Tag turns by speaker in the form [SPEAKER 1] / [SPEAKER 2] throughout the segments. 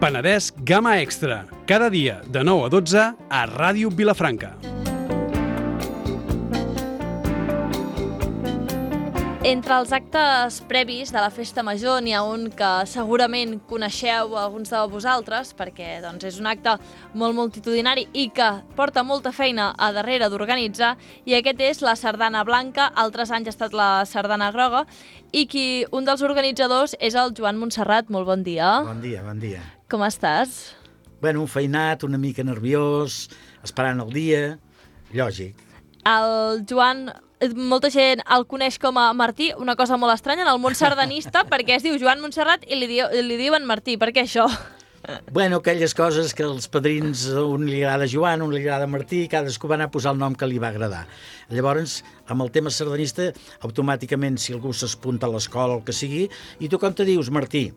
[SPEAKER 1] Penedès Gamma Extra, cada dia de 9 a 12 a Ràdio Vilafranca.
[SPEAKER 2] Entre els actes previs de la Festa Major n'hi ha un que segurament coneixeu alguns de vosaltres, perquè és un acte molt multitudinari i que porta molta feina a darrere d'organitzar, i aquest és la Sardana Blanca. Altres anys ha estat la Sardana Groga, i un dels organitzadors és el Joan Montserrat. Molt bon dia.
[SPEAKER 3] Bon dia, bon dia.
[SPEAKER 2] Com estàs?
[SPEAKER 3] Bueno, feinat, una mica nerviós, esperant el dia, lògic.
[SPEAKER 2] El Joan, molta gent el coneix com a Martí, una cosa molt estranya en el món sardanista, perquè es diu Joan Montserrat i li diuen Martí. Per què això?
[SPEAKER 3] Bueno, aquelles coses que els padrins, un li agrada Joan, un li agrada Martí, cadascú va anar a posar el nom que li va agradar. Llavors, amb el tema sardanista, automàticament, si algú s'apunta a l'escola o el que sigui, i tu com te dius, Martí?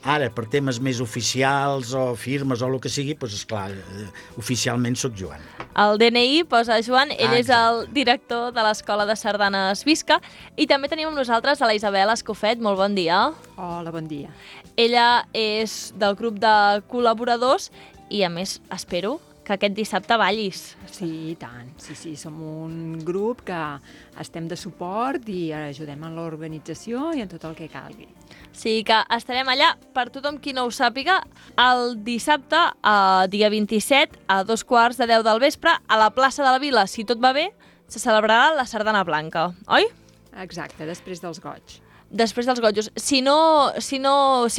[SPEAKER 3] Ara, per temes més oficials o firmes o el que sigui, doncs, esclar, oficialment sóc Joan.
[SPEAKER 2] El DNI posa Joan, ell és el director de l'Escola de Sardanes Visca, i també tenim amb nosaltres a la Isabel Escofet. Molt bon dia.
[SPEAKER 4] Hola, bon dia.
[SPEAKER 2] Ella és del grup de col·laboradors i, a més, espero que aquest dissabte ballis.
[SPEAKER 4] Sí, i tant. Sí, som un grup que estem de suport i ajudem en l'organització i en tot el que calgui.
[SPEAKER 2] Sí, que estarem allà, per tothom qui no ho sàpiga, el dissabte, dia 27, a 2:15 del vespre, a la plaça de la Vila. Si tot va bé, se celebrarà la Sardana Blanca, oi?
[SPEAKER 4] Exacte, després dels goig.
[SPEAKER 2] Després dels gojos. Si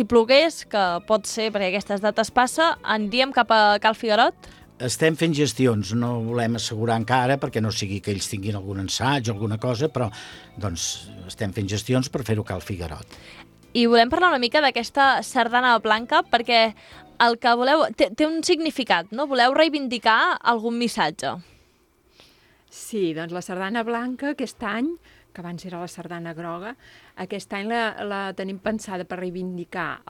[SPEAKER 2] plogués, que pot ser perquè aquestes dates passa, aniríem cap a Cal Figuerot?
[SPEAKER 3] Estem fent gestions, no volem assegurar encara perquè no sigui que ells tinguin algun assaig o alguna cosa, però doncs, estem fent gestions per fer-ho a Cal Figuerot.
[SPEAKER 2] I volem parlar una mica d'aquesta Sardana Blanca perquè el que voleu té un significat, no? Voleu reivindicar algun missatge.
[SPEAKER 4] Sí, doncs la Sardana Blanca aquest any, que abans era la Sardana Groga, aquest any la tenim pensada per reivindicar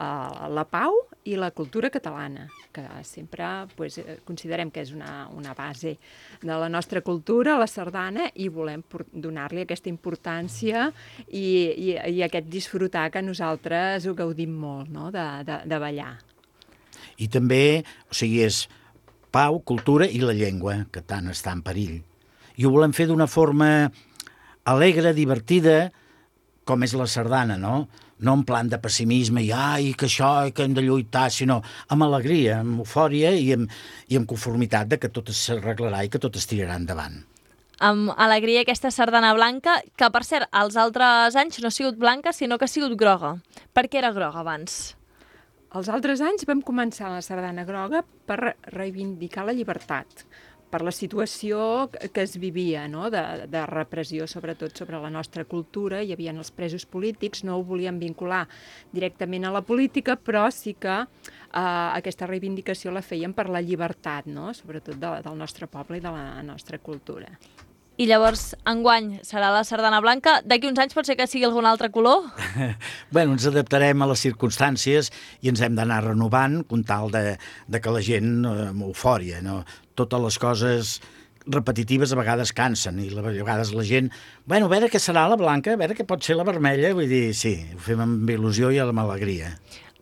[SPEAKER 4] la pau i la cultura catalana, que sempre considerem que és una base de la nostra cultura, la sardana, i volem donar-li aquesta importància i aquest disfrutar que nosaltres ho gaudim molt, no?, de ballar.
[SPEAKER 3] I també, és pau, cultura i la llengua, que tant està en perill. I ho volem fer d'una forma alegre, divertida, com és la sardana, no? No en plan de pessimisme i que això, que hem de lluitar, sinó amb alegria, amb eufòria i amb conformitat de que tot s'arreglarà i que tot es tirarà endavant.
[SPEAKER 2] Amb alegria aquesta Sardana Blanca, que per cert, els altres anys no ha sigut blanca, sinó que ha sigut groga. Per què era groga abans?
[SPEAKER 4] Els altres anys vam començar la Sardana Groga per reivindicar la llibertat, per la situació que es vivia, no?, de repressió, sobretot sobre la nostra cultura. Hi havia els presos polítics, no ho volíem vincular directament a la política, però sí que aquesta reivindicació la fèiem per la llibertat, no?, sobretot del nostre poble i de la nostra cultura.
[SPEAKER 2] I llavors, enguany, serà la Sardana Blanca. D'aquí uns anys pot ser que sigui algun altre color?
[SPEAKER 3] Bueno, ens adaptarem a les circumstàncies i ens hem d'anar renovant com tal de que la gent amb eufòria, no? Totes les coses repetitives a vegades cansen i a vegades la gent, a veure què serà la blanca, a veure què pot ser la vermella, vull dir, sí, ho fem amb il·lusió i amb alegria.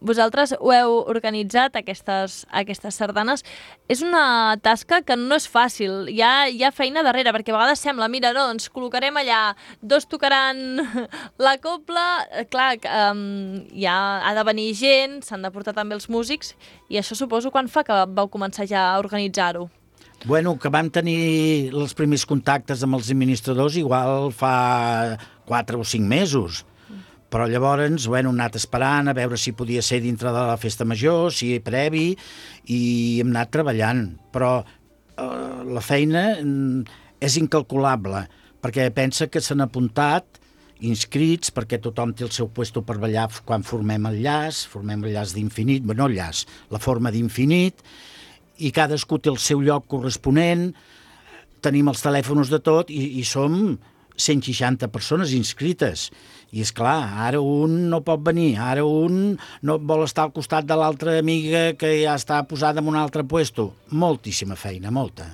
[SPEAKER 2] Vosaltres ho heu organitzat, aquestes sardanes. És una tasca que no és fàcil, hi ha feina darrere, perquè a vegades sembla, mira, no, ens col·locarem allà, dos tocaran la cobla, clar, ha de venir gent, s'han de portar també els músics, i això suposo quan fa que vau començar ja a organitzar-ho?
[SPEAKER 3] Bueno, que vam tenir els primers contactes amb els administradors igual fa 4 o 5 mesos. Però llavors hem anat esperant a veure si podia ser dintre de la festa major, si previ, i hem anat treballant. Però la feina és incalculable, perquè pensa que s'han apuntat inscrits, perquè tothom té el seu puesto per ballar quan formem el llaç d'infinit, no el llaç, la forma d'infinit, i cadascú té el seu lloc corresponent, tenim els telèfons de tot i som 160 persones inscrites. I és clar, ara un no pot venir, ara un no vol estar al costat de l'altra amiga que ja està posada en un altre puesto. Moltíssima feina, molta.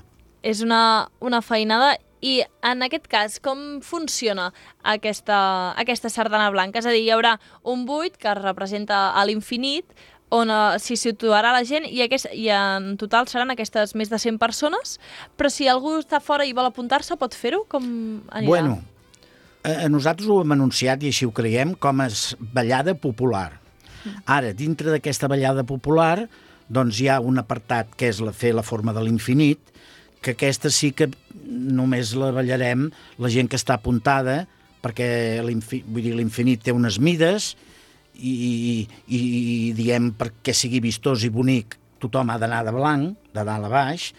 [SPEAKER 2] És una feinada. I en aquest cas, com funciona aquesta sardana blanca? És a dir, hi haurà un buit que representa l'infinit, on s'hi situarà la gent i en total seran aquestes més de 100 persones, però si algú està fora i vol apuntar-se pot fer-ho? Com anirà?
[SPEAKER 3] Bueno, nosaltres ho hem anunciat i així ho creiem com a ballada popular. Ara, dintre d'aquesta ballada popular, doncs hi ha un apartat que és fer la forma de l'infinit, que aquesta sí que només la ballarem la gent que està apuntada, perquè l'infinit té unes mides i diem perquè sigui vistós i bonic tothom ha d'anar de blanc, de dalt a baix,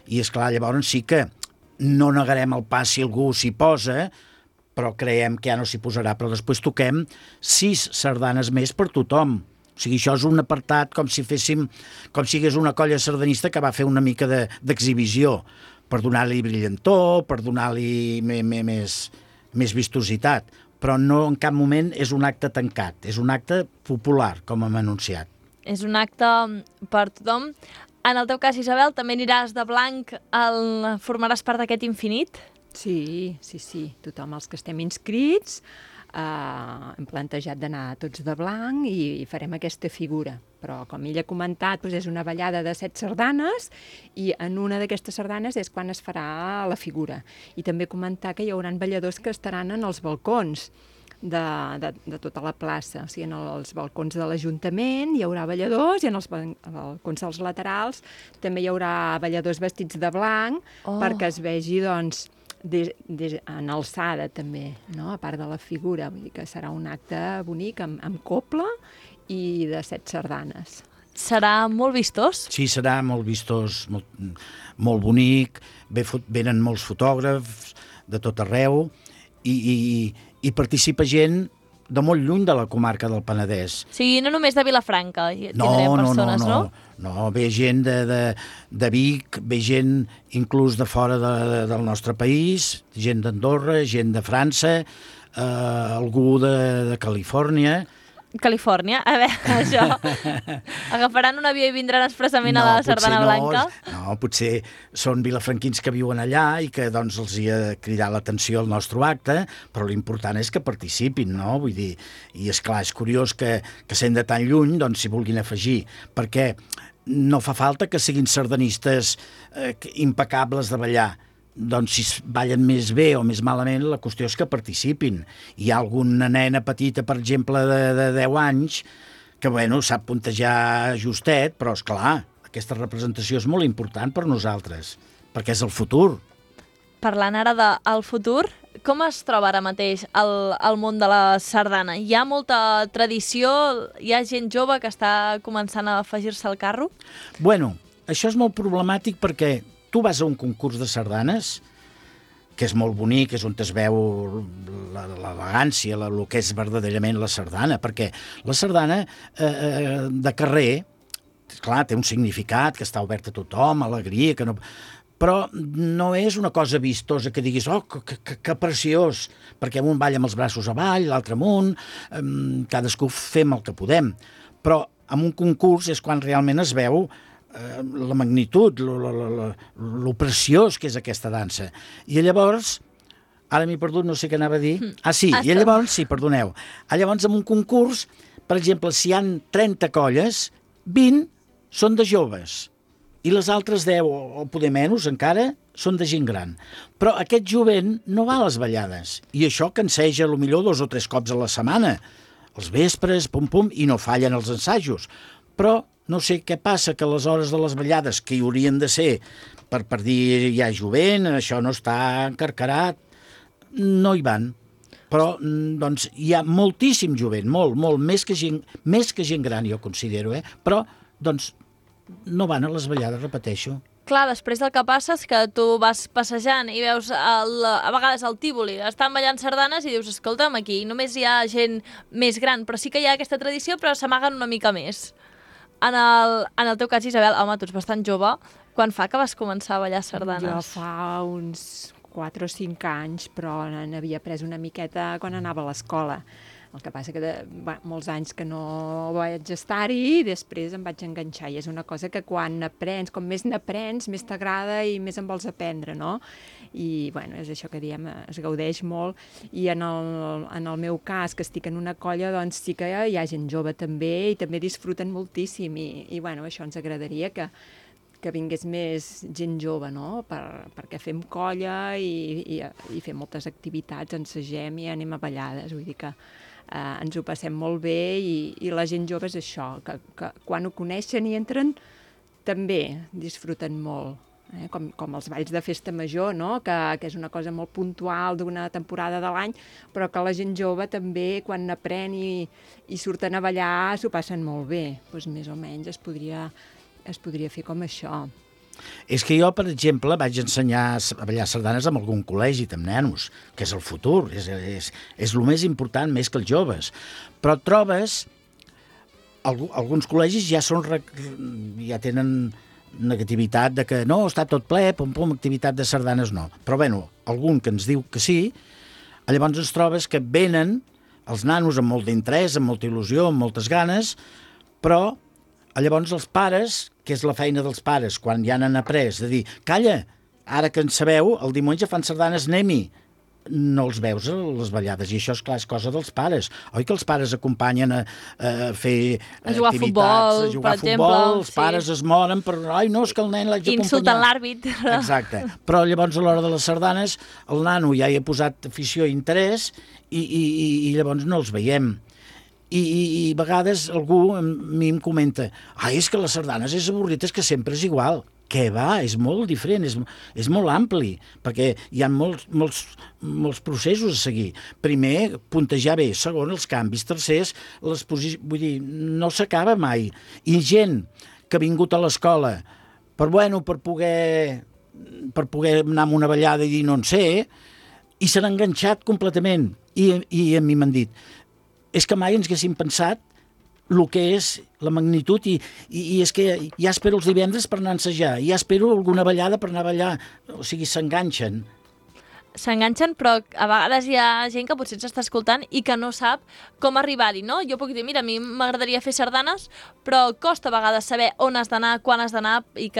[SPEAKER 3] i esclar, llavors sí que no negarem el pas si algú s'hi posa, però creiem que ja no s'hi posarà, però després toquem 6 sardanes més per tothom. O sigui, això és un apartat com si hagués una colla sardanista que va fer una mica d'exhibició, per donar-li brillantor, per donar-li més vistositat, però no en cap moment és un acte tancat, és un acte popular, com hem anunciat.
[SPEAKER 2] És un acte per tothom. En el teu cas, Isabel, també aniràs de blanc, formaràs part d'aquest infinit?
[SPEAKER 4] Sí. Tothom, els que estem inscrits, hem plantejat d'anar tots de blanc i farem aquesta figura. Però, com ella ha comentat, és una ballada de 7 sardanes i en una d'aquestes sardanes és quan es farà la figura. I també comentar que hi haurà balladors que estaran en els balcons de tota la plaça. O sigui, en els balcons de l'Ajuntament hi haurà balladors i en els balcons dels laterals també hi haurà balladors vestits de blanc perquè es vegi, doncs, en alçada també, no? A part de la figura, vull dir que serà un acte bonic amb copla i de 7 sardanes.
[SPEAKER 2] Serà molt vistós?
[SPEAKER 3] Sí, serà molt vistós, molt bonic, venen molts fotògrafs de tot arreu i participa gent de molt lluny de la comarca del Penedès.
[SPEAKER 2] O sigui, no només de Vilafranca tindrem persones, no?
[SPEAKER 3] No, ve gent de Vic, ve gent inclús de fora del nostre país, gent d'Andorra, gent de França, algú de Califòrnia.
[SPEAKER 2] Califòrnia, a veure, això. Agafaran un avió i vindran expressament a la Sardana Blanca?
[SPEAKER 3] No, potser són vilafranquins que viuen allà i que doncs els hi ha cridat l'atenció al nostre acte, però l'important és que participin, no? Vull dir, i esclar, és curiós que sent de tan lluny doncs s'hi vulguin afegir, perquè no fa falta que siguin sardanistes impecables de ballar. Doncs si ballen més bé o més malament, la qüestió és que participin. Hi ha alguna nena petita, per exemple, de 10 anys, que, bueno, sap puntejar justet, però, esclar, aquesta representació és molt important per nosaltres, perquè és el futur.
[SPEAKER 2] Parlant ara del futur, com es troba ara mateix el món de la sardana? Hi ha molta tradició? Hi ha gent jove que està començant a afegir-se al carro?
[SPEAKER 3] Bueno, això és molt problemàtic perquè tu vas a un concurs de sardanes, que és molt bonic, és on es veu l'elegància, el que és verdaderament la sardana, perquè la sardana de carrer, clar, té un significat, que està obert a tothom, alegria, que no... però no és una cosa vistosa que diguis, oh, que preciós, perquè un balla amb els braços avall, l'altre amunt, cadascú fem el que podem. Però en un concurs és quan realment es veu la magnitud, lo preciós que és aquesta dansa. I llavors, ara m'he perdut, no sé què anava a dir. I llavors, perdoneu. Llavors, en un concurs, per exemple, si hi ha 30 colles, 20 són de joves, i les altres 10, o poder menys encara, són de gent gran. Però aquest jovent no va a les ballades, i això canseja potser 2 o 3 cops a la setmana, els vespres, pum, i no fallen els ensajos. Però no sé què passa, que a les hores de les ballades, que hi haurien de ser per dir ja jovent, això no està encarcarat, no hi van. Però doncs, hi ha moltíssim jovent, molt, més que gent gran, jo considero, però doncs, no van a les ballades, repeteixo.
[SPEAKER 2] Clar, després del que passa és que tu vas passejant i veus a vegades al Tívoli, estan ballant sardanes i dius, escolta'm, aquí només hi ha gent més gran, però sí que hi ha aquesta tradició, però s'amaguen una mica més. En el teu cas, Isabel, home, tu ets bastant jove. Quan fa que vas començar a ballar sardanes?
[SPEAKER 4] Jo fa uns 4 o 5 anys, però n'havia pres una miqueta quan anava a l'escola. El que passa que molts anys que no vaig estar-hi i després em vaig enganxar. I és una cosa que quan aprens, com més n'aprens, més t'agrada i més en vols aprendre, no? I, bueno, és això que diem, es gaudeix molt. I en el meu cas, que estic en una colla, doncs sí que hi ha gent jove també i també disfruten moltíssim. I bueno, això ens agradaria que vingués més gent jove, no? Perquè fem colla i fem moltes activitats, ensagem i anem a ballades, vull dir que ens ho passem molt bé i la gent jove és això, que quan ho coneixen i entren també disfruten molt. Com els balls de festa major, no? que és una cosa molt puntual d'una temporada de l'any, però que la gent jove també, quan n'aprèn i surten a ballar, s'ho passen molt bé. Doncs més o menys es podria fer com això.
[SPEAKER 3] És que jo, per exemple, vaig ensenyar a ballar sardanes amb algun col·legi, amb nenos, que és el futur, és el més important, més que els joves. Però trobes, alguns col·legis ja tenen negativitat de que no, està tot ple, pum, activitat de sardanes no. Però, bueno, algun que ens diu que sí, llavors ens trobes que venen els nanos amb molt d'interès, amb molta il·lusió, amb moltes ganes, però llavors els pares, que és la feina dels pares, quan ja n'han après, de dir, calla, ara que en sabeu, el diumenge fan sardanes, anem-hi. No els veus a les ballades, i això, és clar, és cosa dels pares. Oi que els pares acompanyen a fer
[SPEAKER 2] a jugar
[SPEAKER 3] activitats, a jugar a futbol, els pares
[SPEAKER 2] sí.
[SPEAKER 3] Es moren per, ai, no, és que el nen l'haig d'acompanyar.
[SPEAKER 2] Insulten l'àrbitre.
[SPEAKER 3] Exacte. Però llavors, a l'hora de les sardanes, el nano ja hi ha posat afició i interès i llavors no els veiem. I a vegades algú a mi em comenta, és que les sardanes és avorrit, és que sempre és igual. Què va? És molt diferent, és molt ampli, perquè hi ha molts processos a seguir. Primer, puntejar bé, segon, els canvis, tercers, les posicions, vull dir, no s'acaba mai. I gent que ha vingut a l'escola per poder anar a una ballada i dir no en sé, i s'han enganxat completament. I a mi m'han dit, és que mai ens haguéssim pensat el que és la magnitud i és que ja espero els divendres per anar a ensejar, ja espero alguna ballada per anar a ballar, o sigui, s'enganxen.
[SPEAKER 2] S'enganxen, però a vegades hi ha gent que potser ens està escoltant i que no sap com arribar-hi, no? Jo puc dir, mira, a mi m'agradaria fer sardanes, però costa a vegades saber on has d'anar, quan has d'anar i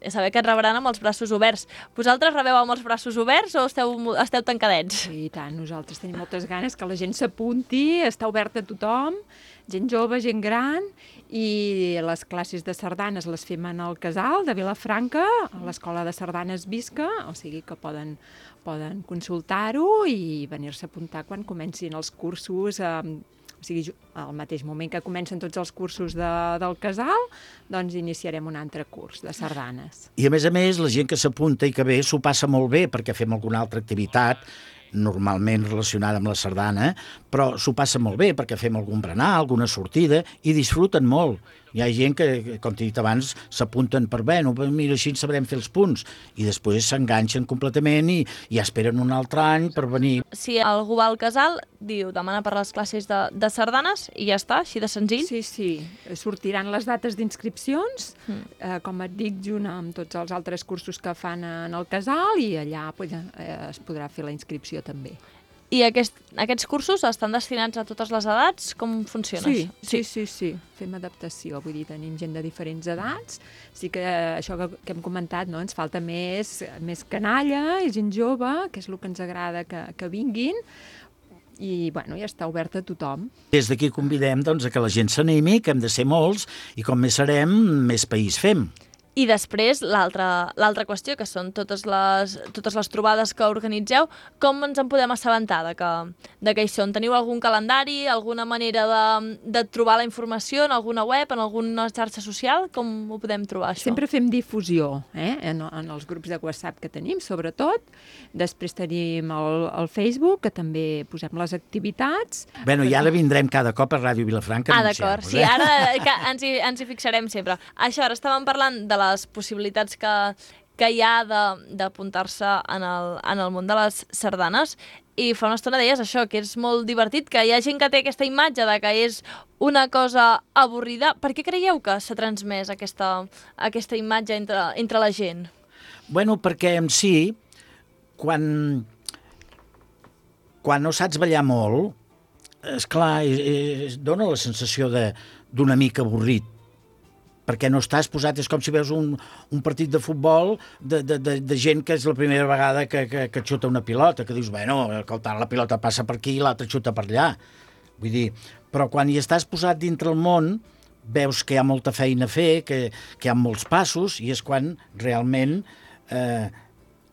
[SPEAKER 2] saber que et rebran amb els braços oberts. Vosaltres rebeu amb els braços oberts o esteu tancadets?
[SPEAKER 4] Sí, i tant, nosaltres tenim moltes ganes que la gent s'apunti, està oberta a tothom, gent jove, gent gran, i les classes de sardanes les fem en el Casal de Vilafranca, a l'Escola de Sardanes Visca, o sigui que poden consultar-ho i venir-se a apuntar quan comencin els cursos, o sigui, al mateix moment que comencen tots els cursos del Casal, doncs iniciarem un altre curs de sardanes.
[SPEAKER 3] I a més, la gent que s'apunta i que ve s'ho passa molt bé perquè fem alguna altra activitat, normalment relacionada amb la sardana, però s'ho passa molt bé perquè fem algun berenar, alguna sortida, i disfruten molt. Hi ha gent que, com t'he dit abans, s'apunten per, mira, així en sabrem fer els punts, i després s'enganxen completament i ja esperen un altre any per venir.
[SPEAKER 2] Si algú va al Casal, demana per les classes de sardanes i ja està, així de senzill?
[SPEAKER 4] Sí. Sortiran les dates d'inscripcions, com et dic, junt amb tots els altres cursos que fan en el Casal, i allà es podrà fer la inscripció també.
[SPEAKER 2] I aquests cursos estan destinats a totes les edats? Com funciona?
[SPEAKER 4] Sí. Fem adaptació, vull dir, tenim gent de diferents edats. Sí que això que hem comentat, no? Ens falta més canalla i gent jove, que és el que ens agrada que vinguin, i ja està obert a tothom.
[SPEAKER 3] Des d'aquí convidem a que la gent s'animi, que hem de ser molts, i com més serem, més país fem.
[SPEAKER 2] I després, l'altra qüestió, que són totes les trobades que organitzeu, com ens en podem assabentar de que hi són? Teniu algun calendari, alguna manera de trobar la informació en alguna web, en alguna xarxa social? Com ho podem trobar, això?
[SPEAKER 4] Sempre fem difusió, en els grups de WhatsApp que tenim, sobretot. Després tenim el Facebook, que també posem les activitats.
[SPEAKER 3] I ara vindrem cada cop a Ràdio Vilafranca.
[SPEAKER 2] D'acord, sí, ara ens hi fixarem sempre. Això, ara estàvem parlant de les possibilitats que hi ha d'apuntar-se en el món de les sardanes, i fa una estona deies això, que és molt divertit, que hi ha gent que té aquesta imatge de que és una cosa avorrida. Per què creieu que s'ha transmès aquesta imatge entre la gent?
[SPEAKER 3] Perquè en si, quan no saps ballar molt, esclar, dona la sensació d'una mica avorrit, perquè no estàs posat, és com si veus un partit de futbol de gent que és la primera vegada que xuta una pilota, que dius, bueno, escolta, la pilota passa per aquí i l'altra xuta per allà. Vull dir, però quan hi estàs posat dintre el món, veus que hi ha molta feina a fer, que hi ha molts passos, i és quan realment...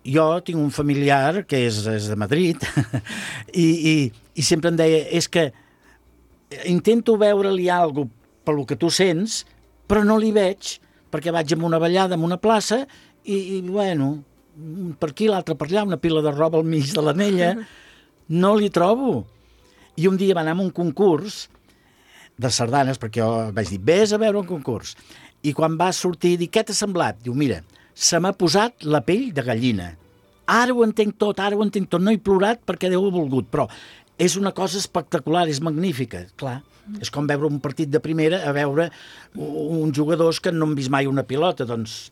[SPEAKER 3] Jo tinc un familiar que és de Madrid i sempre em deia, és que intento veure-li alguna cosa pel que tu sents, però no li veig, perquè vaig a una ballada, a una plaça, i bueno, per aquí, l'altre per allà, una pila de roba al mig de l'anella, no li trobo. I un dia va anar a un concurs de sardanes, perquè jo vaig dir, vés a veure un concurs. I quan va sortir, dic, què t'ha semblat? Diu, mira, se m'ha posat la pell de gallina. Ara ho entenc tot, no he plorat perquè Déu ha volgut, però és una cosa espectacular, és magnífica, clar. És com veure un partit de primera a veure uns jugadors que no han vist mai una pilota, doncs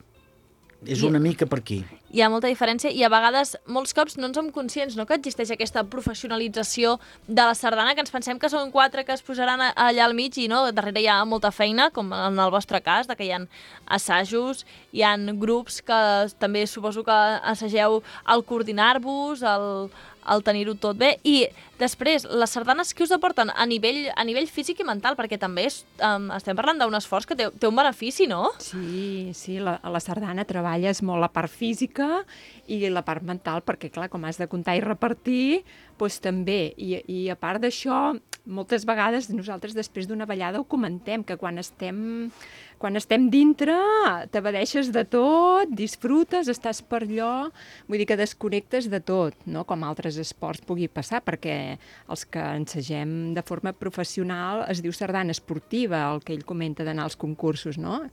[SPEAKER 3] és una mica per aquí.
[SPEAKER 2] Hi ha molta diferència i a vegades, molts cops, no en som conscients, no?, que existeix aquesta professionalització de la sardana, que ens pensem que són 4 que es posaran allà al mig i no, darrere hi ha molta feina, com en el vostre cas, que hi ha assajos, hi ha grups que també suposo que assageu al coordinar-vos, al tenir-ho tot bé, i després, les sardanes que us aporten a nivell físic i mental, perquè també estem parlant d'un esforç que té un benefici, no?
[SPEAKER 4] Sí, la sardana treballes molt la part física i la part mental, perquè clar, com has de comptar i repartir, doncs també, i a part d'això, moltes vegades nosaltres després d'una ballada ho comentem, que quan estem dintre t'abadeixes de tot, disfrutes, estàs per allò, vull dir que desconnectes de tot, no? Com altres esports pugui passar, perquè els que ensagem de forma professional es diu sardana esportiva, el que ell comenta d'anar als concursos, no?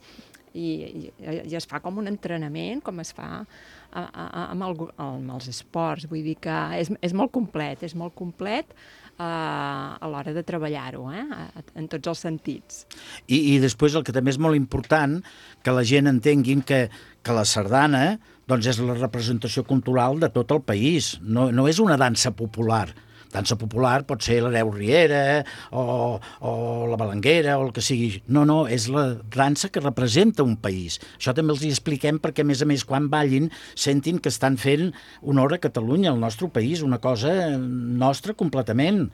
[SPEAKER 4] I es fa com un entrenament, com es fa amb els esports, vull dir que és molt complet, a l'hora de treballar-ho, en tots els sentits.
[SPEAKER 3] I després el que també és molt important, que la gent entenguin que la sardana doncs és la representació cultural de tot el país, no és una dansa popular. Dansa popular pot ser l'Hereu Riera o la Balanguera o el que sigui. No, és la dansa que representa un país. Això també els hi expliquem perquè, a més, quan ballin, sentin que estan fent honor a Catalunya, al nostre país, una cosa nostra completament.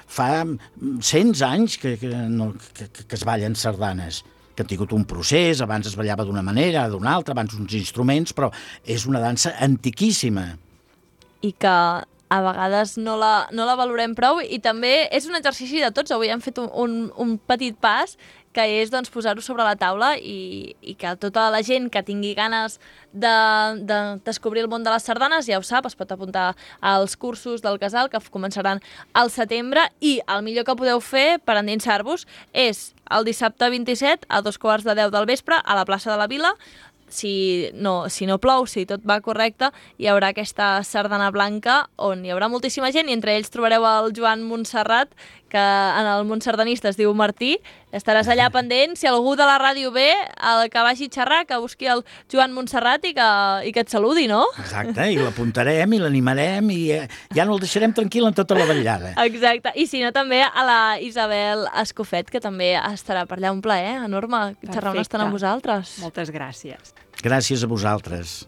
[SPEAKER 3] Fa 100 anys que es ballen sardanes, que han tingut un procés, abans es ballava d'una manera, d'una altra, abans uns instruments, però és una dansa antiquíssima.
[SPEAKER 2] I que a vegades no la valorem prou, i també és un exercici de tots. Avui hem fet un petit pas, que és doncs, posar-ho sobre la taula i que tota la gent que tingui ganes de descobrir el món de les sardanes ja ho sap, es pot apuntar als cursos del Casal que començaran al setembre, i el millor que podeu fer per endinsar-vos és el dissabte 27 a 2:15 del vespre a la plaça de la Vila. Si no plou, si tot va correcte, hi haurà aquesta sardana blanca on hi haurà moltíssima gent, i entre ells trobareu el Joan Montserrat, que en el món sardanista es diu Martí. Estaràs allà pendent, si algú de la ràdio ve, que vagi a xerrar, que busqui el Joan Montserrat i que et saludi, no?
[SPEAKER 3] Exacte, i l'apuntarem i l'animarem i ja no el deixarem tranquil en tota la ballada.
[SPEAKER 2] Exacte, i si no també a la Isabel Escofet, que també estarà per allà. Un plaer enorme xerrar una estona amb vosaltres.
[SPEAKER 4] Moltes gràcies.
[SPEAKER 3] Gràcies a vosaltres.